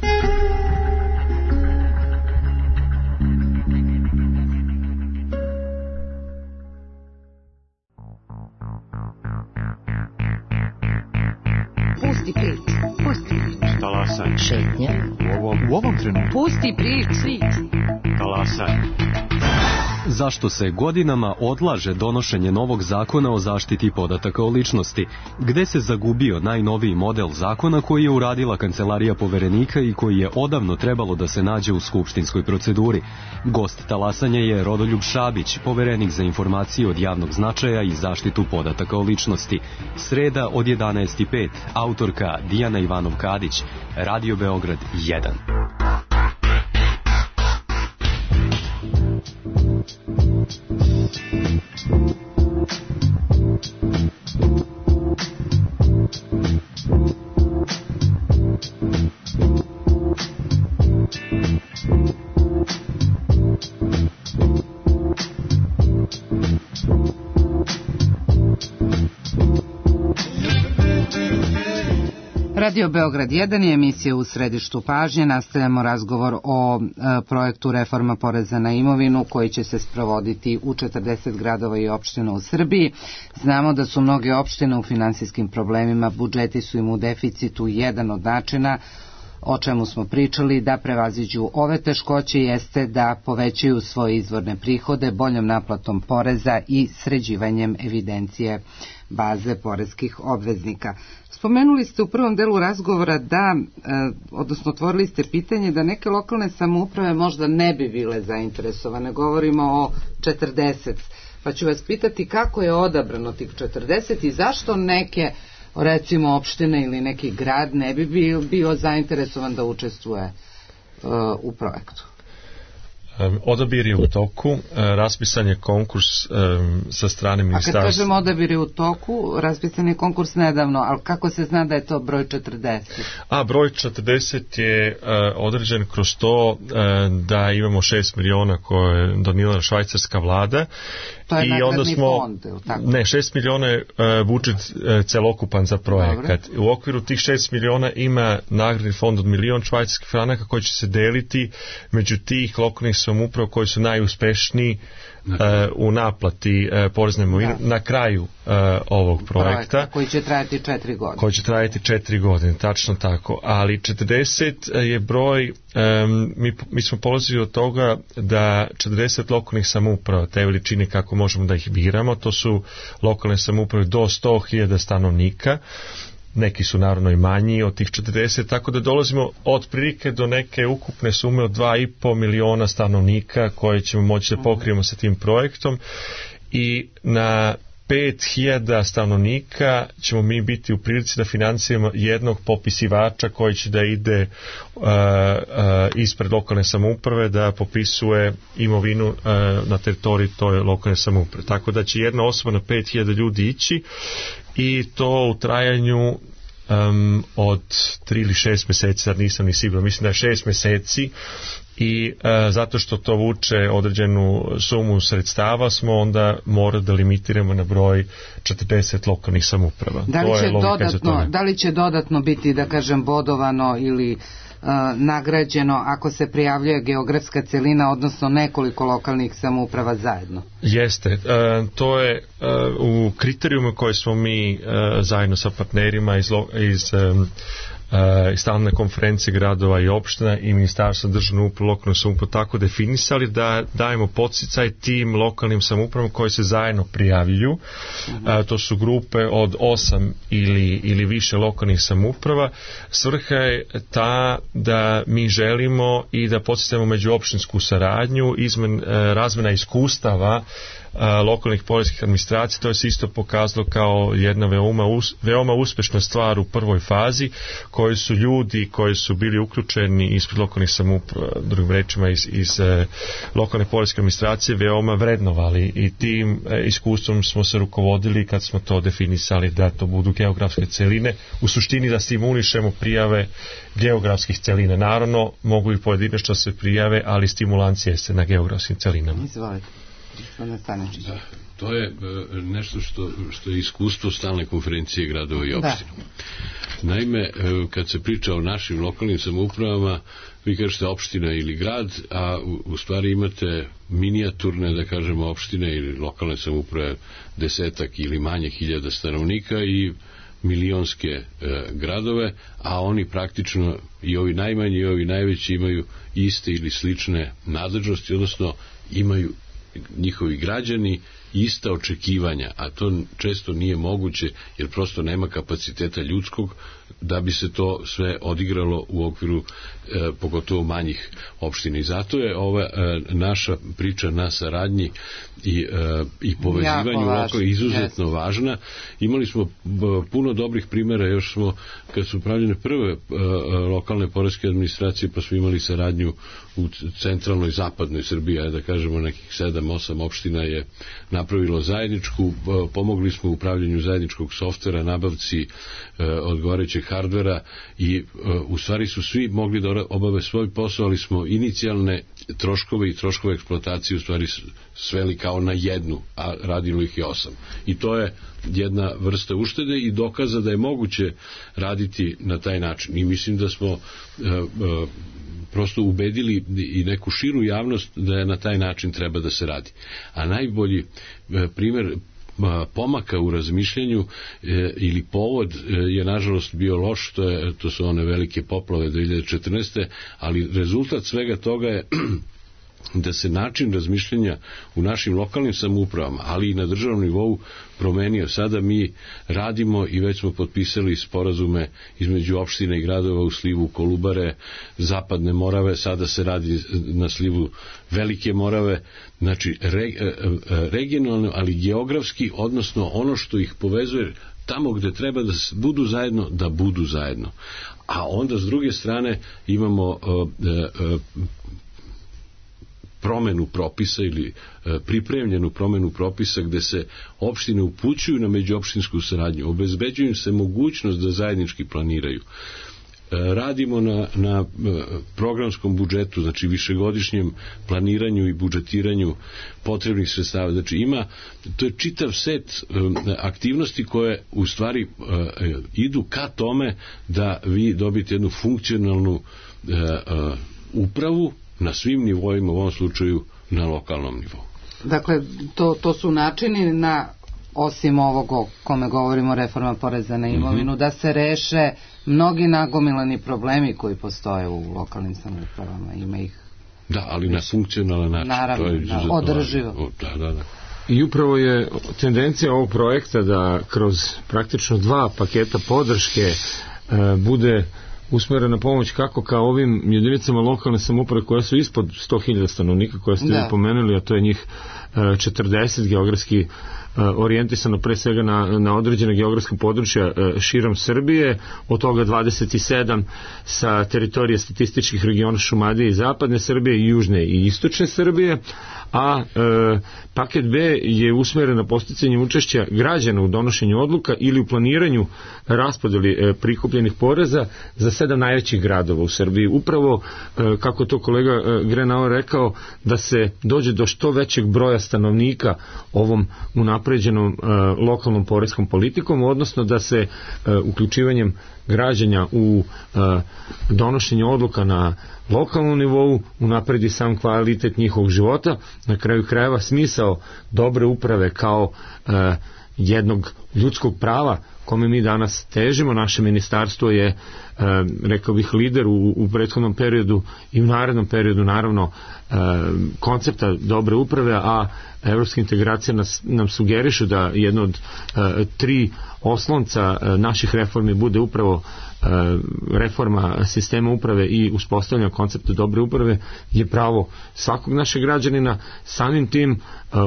Pusti prič, pusti prič. Talasaj. Šetnja. U ovom, u ovom trenutku. Pusti prič, prič. Talasaj. Zašto se godinama odlaže donošenje novog zakona o zaštiti podataka o ličnosti? Gde se zagubio najnoviji model zakona koji je uradila Kancelarija poverenika i koji je odavno trebalo da se nađe u skupštinskoj proceduri? Gost talasanja je Rodoljub Šabić, poverenik za informacije od javnog značaja i zaštitu podataka o ličnosti. Sreda od jedanaest i pet, autorka Dijana Ivanov-Kadić, Radio Beograd jedan. Radio Beograd jedan je emisija u središtu pažnje. Nastavljamo razgovor o e, projektu reforma poreza na imovinu koji će se sprovoditi u četrdeset gradova i opština u Srbiji. Znamo da su mnoge opštine u finansijskim problemima, budžeti su im u deficitu. Jedan od načina o čemu smo pričali da prevaziđu ove teškoće jeste da povećaju svoje izvorne prihode boljom naplatom poreza i sređivanjem evidencije baze poreskih obveznika. Spomenuli ste u prvom delu razgovora da, odnosno otvorili ste pitanje da neke lokalne samouprave možda ne bi bile zainteresovane. Govorimo o četrdeset. Pa ću vas pitati kako je odabrano tih četrdeset i zašto neke, recimo opštine ili neki grad ne bi bio, bio zainteresovan da učestvuje uh, u projektu? Um, odabir je u toku, uh, raspisan je konkurs um, sa strane ministarstva. A kad kažemo odabir je u toku, raspisan je konkurs nedavno, ali kako se zna da je to broj četrdeset? A broj četrdeset je uh, određen kroz to uh, da imamo šest miliona koje je donijela švajcarska vlada. To je i nagradni onda smo, fond, tako? Ne, šest miliona je uh, budžet uh, celokupan za projekat. Dobre. U okviru tih šest miliona ima nagradni fond od milion švajcarskih franaka koji će se deliti među tih lokalnih samouprava koji su najuspešniji uh, u naplati uh, porezne imovine na kraju uh, ovog projekta. Projekta koji će trajati četiri godine. Koji će trajati četiri godine, tačno tako. Ali četrdeset je broj, um, mi, mi smo polazili od toga da četrdeset lokalnih samouprava, te veličine kako možemo da ih biramo, to su lokalne samouprave do sto hiljada stanovnika, neki su naravno i manji od tih četrdeset, tako da dolazimo od prilike do neke ukupne sume od dva i po miliona stanovnika koje ćemo moći da pokrijemo sa tim projektom i na pet hiljada stanovnika ćemo mi biti u prilici da finansiramo jednog popisivača koji će da ide uh, uh, ispred lokalne samouprave da popisuje imovinu uh, na teritoriji toj lokalne samouprave. Tako da će jedna osoba na pet hiljada ljudi ići i to u trajanju um, od tri ili šest meseci, sad nisam ni siguran, mislim da je šest meseci i e, zato što to vuče određenu sumu sredstava smo onda morali da limitiramo na broj četrdeset lokalnih samouprava. Da li, će dodatno, da li će dodatno biti, da kažem, bodovano ili e, nagrađeno ako se prijavljuje geografska celina, odnosno nekoliko lokalnih samouprava zajedno? Jeste. E, to je e, u kriterijumu koje smo mi e, zajedno sa partnerima iz, iz e, i stalne konferencije gradova i opština i ministarstva državne uprave lokalne samouprave tako definisali da dajemo podsticaj tim lokalnim samoupravama koji se zajedno prijavljuju. Mm-hmm. A, to su grupe od osam ili, ili više lokalnih samouprava. Svrha je ta da mi želimo i da podsticamo međuopštinsku saradnju, izmen, razmena iskustava lokalnih poreskih administracija. To je se isto pokazalo kao jedna veoma, us, veoma uspešna stvar u prvoj fazi koji su ljudi koji su bili uključeni ispred lokalnih samouprava, drugim rečima iz, iz eh, lokalne poreske administracije veoma vrednovali i tim eh, iskustvom smo se rukovodili kad smo to definisali da to budu geografske celine, u suštini da stimulišemo prijave geografskih celina. Naravno mogu i pojedinačno se prijave, ali stimulancija se na geografskim celinama. Izvolite. Da, to je uh, nešto što, što je iskustvo stalne konferencije gradova i opština. Da. Naime, uh, kad se priča o našim lokalnim samoupravama, vi kažete opština ili grad, a u, u stvari imate minijaturne, da kažemo, opštine ili lokalne samouprave desetak ili manje hiljada stanovnika i milionske e, gradove, a oni praktično i ovi najmanji i ovi najveći imaju iste ili slične nadležnosti, odnosno imaju njihovi građani ista očekivanja, a to često nije moguće jer prosto nema kapaciteta ljudskog da bi se to sve odigralo u okviru e, pogotovo manjih opština. I zato je ova e, naša priča na saradnji i, e, i povezivanju lokalno izuzetno yes. važna. Imali smo b, puno dobrih primjera, još smo, kad su pravljene prve e, lokalne poreske administracije, pa smo imali saradnju u centralnoj zapadnoj Srbiji, da kažemo nekih sedam osam opština je napravilo zajedničku, pomogli smo u upravljanju zajedničkog softvera, nabavci e, odgovarajućeg hardvera i e, u stvari su svi mogli da obave svoj posao, ali smo inicijalne troškove i troškove eksploatacije u stvari sveli kao na jednu, a radilo ih je osam. I to je jedna vrsta uštede i dokaza da je moguće raditi na taj način. I mislim da smo e, e, prosto ubedili i neku širu javnost da je na taj način treba da se radi. A najbolji e, primjer pomaka u razmišljanju e, ili povod e, je nažalost bio loš, to, je, to su one velike poplave dve hiljade četrnaeste. ali rezultat svega toga je da se način razmišljanja u našim lokalnim samoupravama, ali i na državnom nivou promenio. Sada mi radimo i već smo potpisali sporazume između opština i gradova u slivu Kolubare, Zapadne Morave, sada se radi na slivu Velike Morave, znači re, regionalno, ali geografski, odnosno ono što ih povezuje tamo gde treba da budu zajedno, da budu zajedno. A onda s druge strane imamo uh, uh, promenu propisa ili pripremljenu promenu propisa gde se opštine upućuju na međuopštinsku saradnju, obezbeđuju se mogućnost da zajednički planiraju. Radimo na, na programskom budžetu, znači višegodišnjem planiranju i budžetiranju potrebnih sredstava. Znači ima, to je čitav set aktivnosti koje u stvari idu ka tome da vi dobijete jednu funkcionalnu upravu na svim nivoima, u ovom slučaju na lokalnom nivou. Dakle, to, to su načini na, osim ovog o kome govorimo, reforma poreza na imovinu, mm-hmm. da se reše mnogi nagomilani problemi koji postoje u lokalnim samoupravama. Ima ih. Da, ali na funkcionalan način. Naravno, to je da, održivo. Da, da, da. I upravo je tendencija ovog projekta da kroz praktično dva paketa podrške e, bude usmerena pomoć kako ka ovim jedinicama lokalne samouprave koje su ispod sto hiljada stanovnika koje ste vi pomenuli, a to je njih četrdeset geografski orijentisano pre svega na, na određene geografske područja širom Srbije, od toga dvadeset sedam sa teritorije statističkih regiona Šumadije i zapadne Srbije i južne i istočne Srbije, a e, paket B je usmeren na posticanje učešća građana u donošenju odluka ili u planiranju raspodeli e, prikupljenih poreza za sedam najvećih gradova u Srbiji. Upravo, e, kako to kolega e, Grenauer rekao, da se dođe do što većeg broja stanovnika ovom unapređenom e, lokalnom poreskom politikom, odnosno da se e, uključivanjem građanja u e, donošenje odluka na lokalnom nivou unapredi sam kvalitet njihovog života, na kraju krajeva smisao dobre uprave kao e, jednog ljudskog prava kome mi danas težimo. Naše ministarstvo je, e, rekao bih, lider u, u prethodnom periodu i u narednom periodu naravno e, koncepta dobre uprave, a evropska integracija nas, nam sugerišu da jedno od e, tri oslonca e, naših reformi bude upravo e, reforma sistema uprave i uspostavljanje koncepta dobre uprave, je pravo svakog našeg građanina. Samim tim e,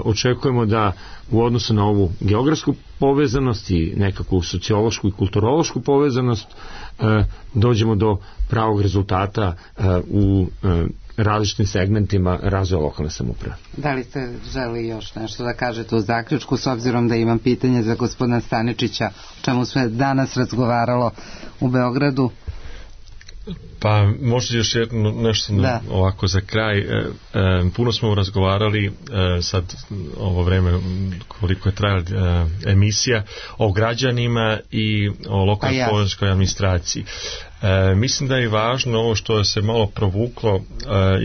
očekujemo da u odnosu na ovu geografsku povezanost i nekakvu sociološku i kulturološku povezanost e, dođemo do pravog rezultata e, u e, različitim segmentima razvoja lokalne samouprave. Da li ste želi još nešto da kažete u zaključku, s obzirom da imam pitanje za gospodina Staničića, o čemu sve danas razgovaralo u Beogradu? Pa možda još jedno nešto da. ovako za kraj. E, e, puno smo razgovarali e, sad ovo vreme koliko je trajala e, emisija o građanima i o lokalnoj ja. poreskoj administraciji. E, mislim da je važno ovo što se malo provuklo e,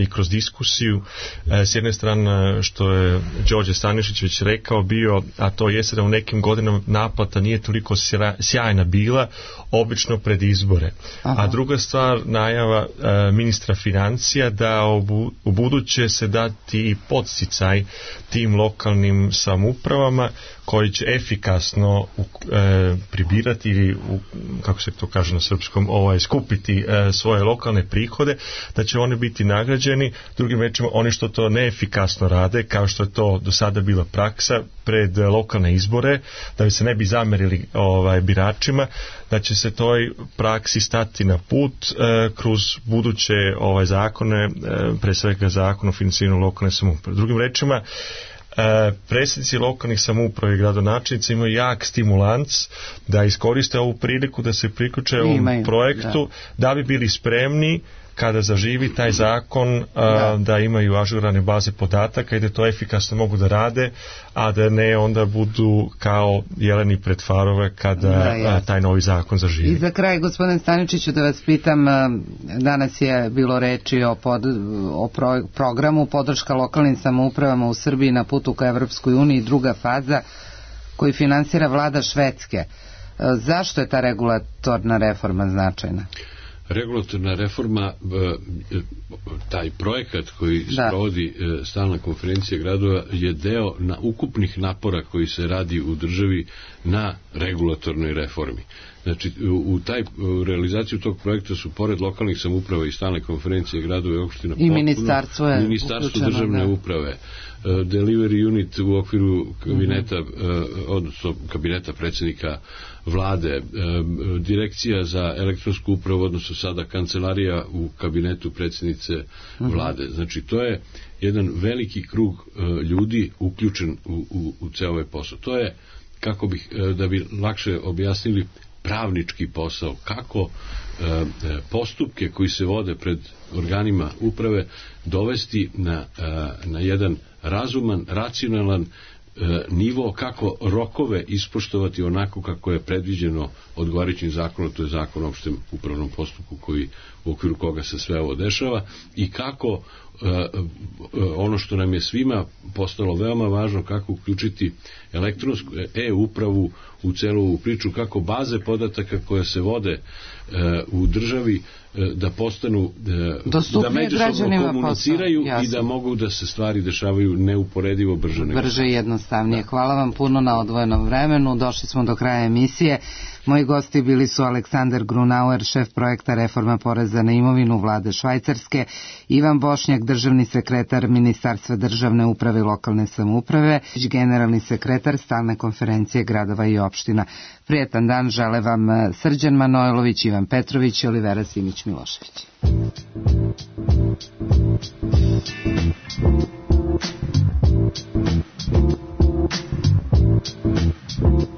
i kroz diskusiju, e, s jedne strane što je Đorđe Stanišić već rekao bio, a to jeste da u nekim godinama naplata nije toliko sjajna bila, obično pred izbore. Aha. A druga stvar, najava e, ministra financija da u, u buduće se dati podsticaj tim lokalnim samoupravama koji će efikasno e, pribirati ili u, kako se to kaže na srpskom, ovaj, skupiti e, svoje lokalne prihode, da će oni biti nagrađeni. Drugim rečima, oni što to neefikasno rade, kao što je to do sada bila praksa pred lokalne izbore, da bi se ne bi zamerili ovaj, biračima, da će se toj praksi stati na put e, kroz buduće ovaj, zakone, e, pre svega zakon o financiranju lokalne samouprave. Drugim rečima, E, predsjednici lokalnih samouprava i gradonačelnici imaju jak stimulans da iskoriste ovu priliku da se priključe ovom projektu, da. da bi bili spremni kada zaživi taj zakon a, da. da imaju ažurane baze podataka i da to efikasno mogu da rade, a da ne onda budu kao jeleni pred farove kada da, a, taj novi zakon zaživi. I za kraj, gospodin Staničiću, da vas pitam, danas je bilo reči o, pod, o pro, programu podrška lokalnim samoupravama u Srbiji na putu ka Evropskoj uniji, druga faza koju finansira vlada Švedske. Zašto je ta regulatorna reforma značajna? Regulatorna reforma, taj projekat koji da. sprovodi stalna konferencija gradova je deo na ukupnih napora koji se radi u državi na regulatornoj reformi. Znači, u, taj, u realizaciju tog projekta su pored lokalnih samouprava i stalne konferencije gradova i opština i ministarstvo, je ministarstvo državne da. uprave, delivery unit u okviru kabineta, mm-hmm. odnosno kabineta predsjednika vlade, direkcija za elektronsku upravu, odnosno sada kancelarija u kabinetu predsjednice mm-hmm. vlade. Znači, to je jedan veliki krug ljudi uključen u, u, u ceo ovaj posao. To je, kako bih, da bi lakše objasnili, pravnički posao, kako e, postupke koji se vode pred organima uprave dovesti na, e, na jedan razuman, racionalan e, nivo, kako rokove ispoštovati onako kako je predviđeno odgovarajućim zakonom, to je zakon o opštem upravnom postupku koji, u okviru koga se sve ovo dešava, i kako e, ono što nam je svima postalo veoma važno, kako uključiti elektronsku e-upravu u celu ovu priču, kako baze podataka koje se vode e, u državi e, da postanu e, da međusobno komuniciraju i da mogu da se stvari dešavaju neuporedivo brže. Brže i jednostavnije. Da. Hvala vam puno na odvojenom vremenu. Došli smo do kraja emisije. Moji gosti bili su Aleksandar Grunauer, šef projekta Reforma poreza na imovinu vlade Švajcarske, Ivan Bošnjak, državni sekretar Ministarstva državne uprave i lokalne samouprave, generalni sekretar Stalne konferencije gradova i opština. Prijetan dan žele vam Srđan Manojlović, Ivan Petrović i Olivera Simić-Milošević. Thank you.